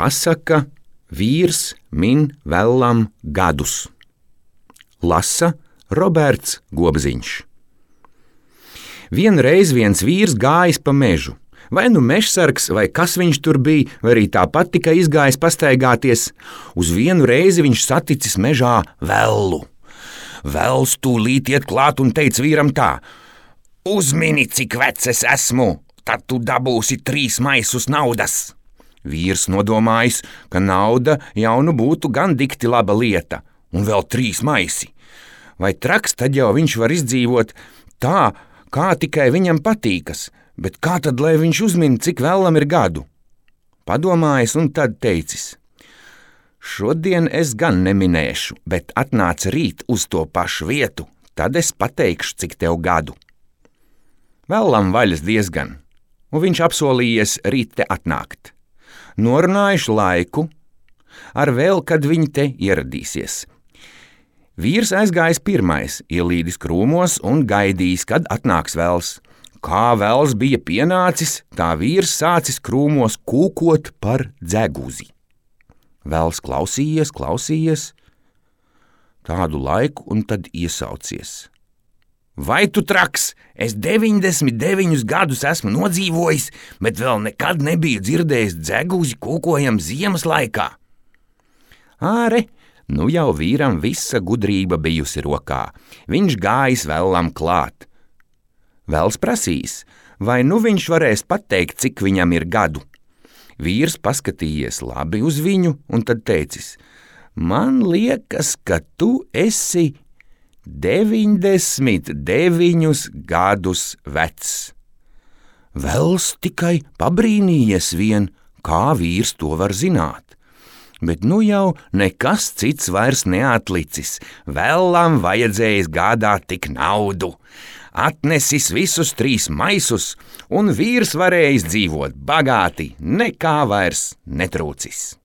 Pasaka Vīrs min vellam gadus. Lasa Roberts Gobziņš. Vienreiz viens vīrs gājis pa mežu. Vai nu mežsargs, vai kas viņš tur bija, vai arī tāpat tikai izgājis pastaigāties. Uz vienu reizi viņš saticis mežā vellu. Vells tūlīt iet klāt un teica vīram tā: Uzmini, cik vecs es esmu, tad tu dabūsi 3 maisus naudas. Vīrs nodomājis, ka nauda jau nu būtu gan dikti laba lieta, un vēl 3 maisi. Vai traks tad jau viņš var izdzīvot tā, kā tikai viņam patīkas, bet kā tad, lai viņš uzmin, cik vellam ir gadu? Padomājis un tad teicis: Šodien es gan neminēšu, bet atnāc rīt uz to pašu vietu, tad es pateikšu, cik tev gadu. Vellam vaļas diezgan, un viņš apsolījies rīt te atnākt. Norunājuši laiku, ar vēl, kad viņi te ieradīsies. Vīrs aizgājis pirmais, ielīdis krūmos un gaidījis, kad atnāks vells. Kā vells bija pienācis, tā vīrs sācis krūmos kūkot par dzeguzi. Vells klausījies tādu laiku un tad iesaucies: Vai tu traks? Es 99 gadus esmu nodzīvojis, bet vēl nekad nebiju dzirdējis dzeguzi kūkojam ziemas laikā. Āre, nu jau vīram visa gudrība bijusi rokā. Viņš gājis vellam klāt. Vells prasīs, vai nu viņš varēs pateikt, cik viņam ir gadu. Vīrs paskatījies labi uz viņu un tad teicis: Man liekas, ka tu esi 99 gadus vecs. Vells tikai pabrīnījies vien, kā vīrs to var zināt. Bet nu jau nekas cits vairs neatlicis. Vellam vajadzējis gādāt tik naudu. Atnesis visus 3 maisus, un vīrs varējis dzīvot bagāti, nekā vairs netrūcis.